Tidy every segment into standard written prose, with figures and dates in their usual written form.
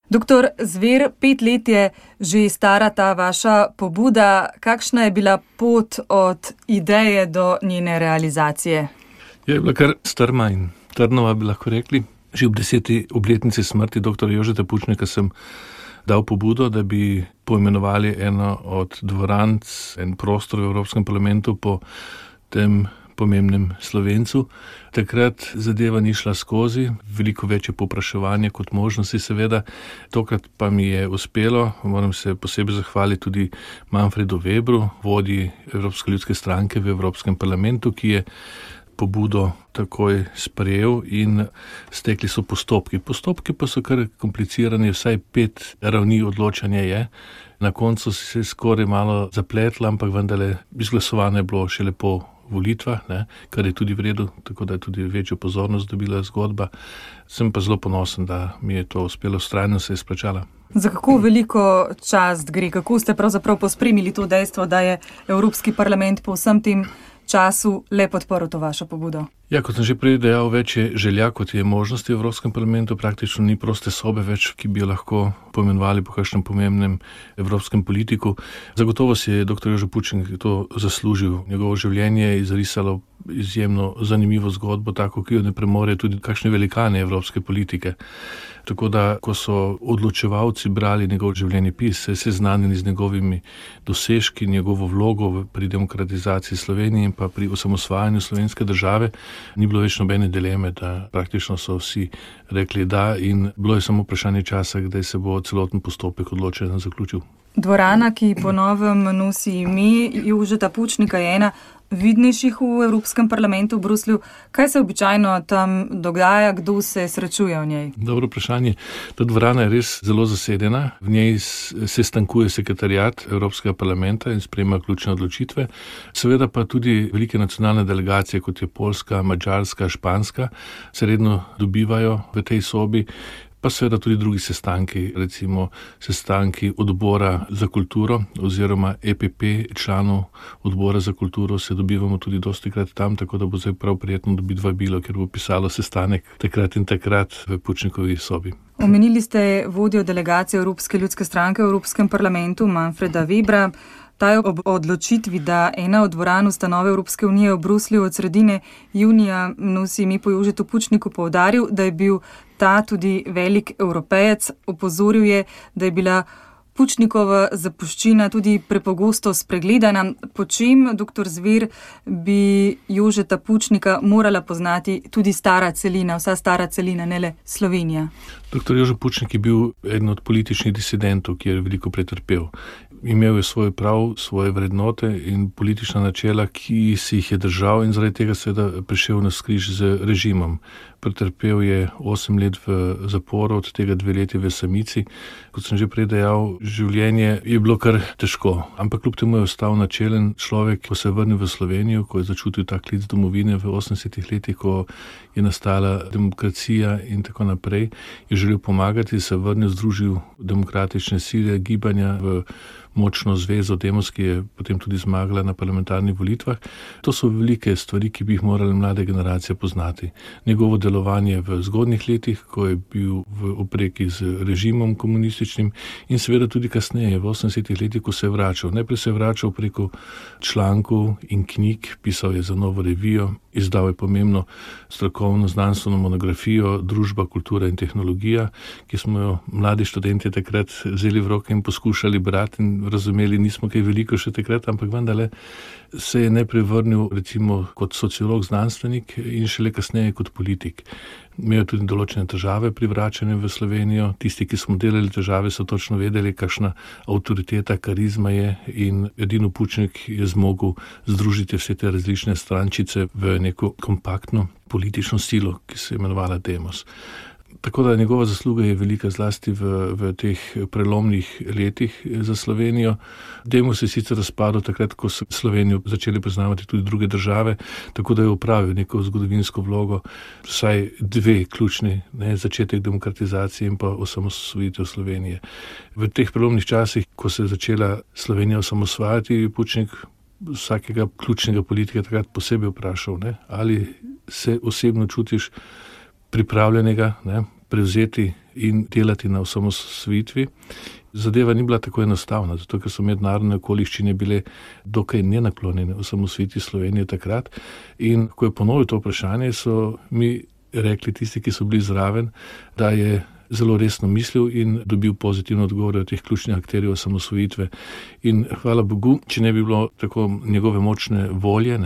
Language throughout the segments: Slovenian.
Doktor Zver, 5 let je že stara ta vaša pobuda. Kakšna je bila pot od ideje do njene realizacije? Je bila kar strma in trnova, bi lahko rekli. Že ob 10. obletnici smrti dr. Jožeta Pučnika sem dal pobudo, da bi poimenovali eno od dvoran, en prostor v Evropskem parlamentu po tem pomembnem Slovencu. Takrat zadeva ni šla skozi, veliko večje povpraševanje kot možnosti seveda. Tokrat pa mi je uspelo, moram se posebej zahvaliti tudi Manfredu Webru, vodji Evropske ljudske stranke v Evropskem parlamentu, ki je pobudo takoj sprejel in stekli so postopki. Postopki pa so kar komplicirani, vsaj 5 ravni odločanja je. Na koncu se je skoraj malo zapletlo, ampak vendarle izglasovano je bilo šele po volitvah, kar je tudi v redu, tako da je tudi večjo pozornost dobila zgodba. Sem pa zelo ponosen, da mi je to uspelo, vztrajno se je splačala. Za kako veliko čast gre? Kako ste pravzaprav pospremili to dejstvo, da je Evropski parlament po vsem tem času le podprl to vašo pobudo? Ja, kot sem že prej dejal, več je želja, kot je možnosti v Evropskem parlamentu. Praktično ni proste sobe več, ki bi jo lahko poimenovali po kakšnem pomembnem evropskem politiku. Zagotovo si je dr. Jože Pučnik to zaslužil. Njegovo življenje je izrisalo izjemno zanimivo zgodbo, tako ki jo ne premore tudi kakšne velikane evropske politike. Tako da, ko so odločevalci brali njegov življenjepis, se seznanili z njegovimi dosežki, njegovo vlogo pri demokratizaciji Slovenije in pa pri osamosvajanju slovenske države, ni bilo več nobene dileme, da praktično so vsi rekli da in bilo je samo vprašanje časa, kdaj se bo celoten postopek odločanja zaključil. Dvorana, ki po novem nosi ime Jožeta Pučnika, je ena vidnejših v Evropskem parlamentu v Bruslju. Kaj se običajno tam dogaja, kdo se srečuje v njej? Dobro vprašanje. Ta dvorana je res zelo zasedena. V njej se stankuje sekretariat Evropskega parlamenta in sprejema ključne odločitve. Seveda pa tudi velike nacionalne delegacije, kot je Poljska, Madžarska, Španska, se redno dobivajo v tej sobi. Pa seveda tudi drugi sestanki, recimo sestanki odbora za kulturo oziroma EPP, članov odbora za kulturo, se dobivamo tudi dostikrat tam, tako da bo zdaj prav prijetno dobiti vabilo, ker bo pisalo sestanek takrat in takrat v Pučnikovi sobi. Omenili ste vodjo delegacije Evropske ljudske stranke v Evropskem parlamentu, Manfreda Webra. Ta je ob odločitvi, da ena od dvoran ustanove Evropske unije v Bruslju od sredine junija nosi ime po Jožetu Pučniku, poudaril, da je bil ta tudi velik Evropejec. Opozoril je, da je bila Pučnikova zapuščina tudi prepogosto spregledana. Po čem, dr. Zver, bi Jožeta Pučnika morala poznati tudi stara celina, vsa stara celina, ne le Slovenija? Dr. Jože Pučnik je bil eden od političnih disidentov, ki je veliko pretrpel. Imel je svoj prav, svoje vrednote in politična načela, ki si jih je držal in zaradi tega seveda prišel na skriž z režimom. Pretrpel je 8 let v zaporu, od tega 2 leti v samici. Kot sem že prej dejal, življenje je bilo kar težko, ampak kljub temu je ostal načelen človek. Ko se je vrnil v Slovenijo, ko je začutil ta klic domovine v 80 letih, ko je nastala demokracija in tako naprej, je želel pomagati, se vrnil, združil demokratične sile, gibanja v močno zvezo Demos, ki je potem tudi zmagala na parlamentarnih volitvah. To so velike stvari, ki bi jih morale mlade generacije poznati. Njegovo delovanje v zgodnjih letih, ko je bil v opreki z režimom komunističnim in seveda tudi kasneje, v 80 letih, ko se je vračal. Najprej se je vračal preko člankov in knjig, pisal je za Novo revijo, izdal je pomembno strokovno znanstveno monografijo Družba, kultura in tehnologija, ki smo jo mladi študenti takrat vzeli v roke in poskušali brati in razumeli, nismo kaj veliko še takrat, ampak vendarle se je najprej vrnil recimo kot sociolog, znanstvenik in šele kasneje kot politik. Imel tudi določene težave pri vračanju v Slovenijo. Tisti, ki smo delali težave, so točno vedeli, kakšna avtoriteta, karizma je in edino Pučnik je zmogel združiti vse te različne strančice v neko kompaktno politično silo, ki se je imenovala Demos. Tako da njegova zasluga je velika zlasti v teh prelomnih letih za Slovenijo. Demos je sicer razpadel takrat, ko so Slovenijo začeli priznavati tudi druge države, tako da je opravil neko zgodovinsko vlogo, vsaj 2 ključni, začetek demokratizacije in pa osamosvojitev Slovenije. V teh prelomnih časih, ko se je začela Slovenija osamosvajati, Pučnik vsakega ključnega politika takrat posebej vprašal, ali se osebno čutiš pripravljenega prevzeti in delati na osamosvojitvi. Zadeva ni bila tako enostavna, zato ker so mednarodne okoliščine bile dokaj nenaklonjene osamosvojitvi Slovenije takrat. In ko je ponovil to vprašanje, so mi rekli tisti, ki so bili zraven, da je zelo resno mislil in dobil pozitivne odgovore od teh ključnih akterjev osamosvojitve. In hvala Bogu, če ne bi bilo tako njegove močne volje,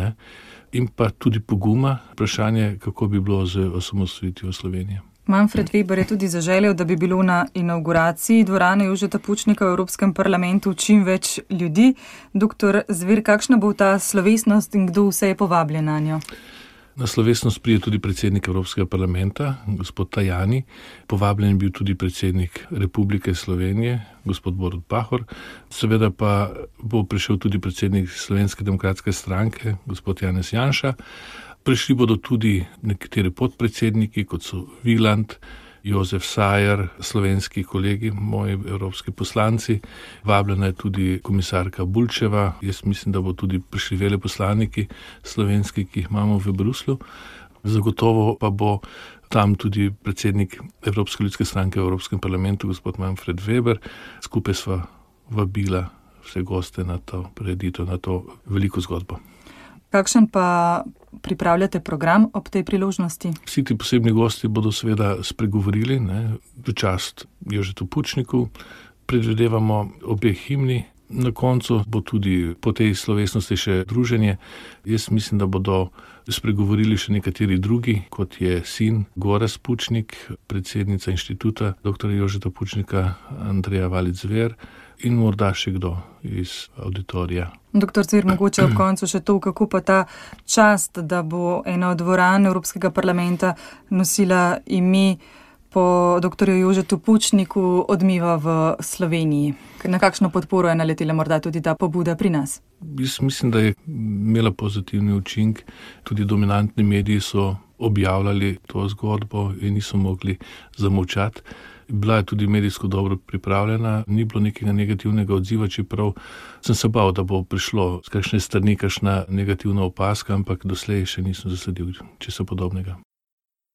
in pa tudi poguma, vprašanje, kako bi bilo z osamosvojitvijo Slovenije. Manfred Weber je tudi zaželel, da bi bilo na inauguraciji dvorane Jožeta Pučnika v Evropskem parlamentu čim več ljudi. Doktor Zver, kakšna bo ta slovesnost in kdo vse je povabljen na njo? Na slovesnost pride tudi predsednik Evropskega parlamenta, gospod Tajani. Povabljen je bil tudi predsednik Republike Slovenije, gospod Borut Pahor. Seveda pa bo prišel tudi predsednik Slovenske demokratske stranke, gospod Janez Janša. Prišli bodo tudi nekateri podpredsedniki, kot so Wieland, Jozef Sajer, slovenski kolegi, moji evropski poslanci. Vabljena je tudi komisarka Bulčeva. Jaz mislim, da bo tudi prišli veleposlaniki slovenski, ki jih imamo v Bruslju. Zagotovo pa bo tam tudi predsednik Evropske ljudske stranke v Evropskem parlamentu, gospod Manfred Weber. Skupaj sva vabila vse goste na to prireditev, na to veliko zgodbo. Kakšen pa pripravljate program ob tej priložnosti? Vsi ti posebni gosti bodo seveda spregovorili v čast Jožetu Pučniku. Predvidevamo obe himni. Na koncu bo tudi po tej slovesnosti še druženje. Jaz mislim, da bodo spregovorili še nekateri drugi, kot je sin Gorazd Pučnik, predsednica inštituta dr. Jožeta Pučnika, Andreja Valič-Zver in morda še kdo iz auditorija. Doktor Zver, mogoče ob koncu še to, kako pa ta čast, da bo ena od dvoran Evropskega parlamenta nosila ime po dr. Jožetu Pučniku, odmiva v Sloveniji. Na kakšno podporo je naletela morda tudi ta pobuda pri nas? Jaz mislim, da je imela pozitivni učinek. Tudi dominantni mediji so objavljali to zgodbo in niso mogli zamolčati. Bila je tudi medijsko dobro pripravljena, ni bilo nekega negativnega odziva, čeprav sem se bal, da bo prišlo z kakšne strani kakšna negativna opazka, ampak doslej še nisem zasledil česa podobnega.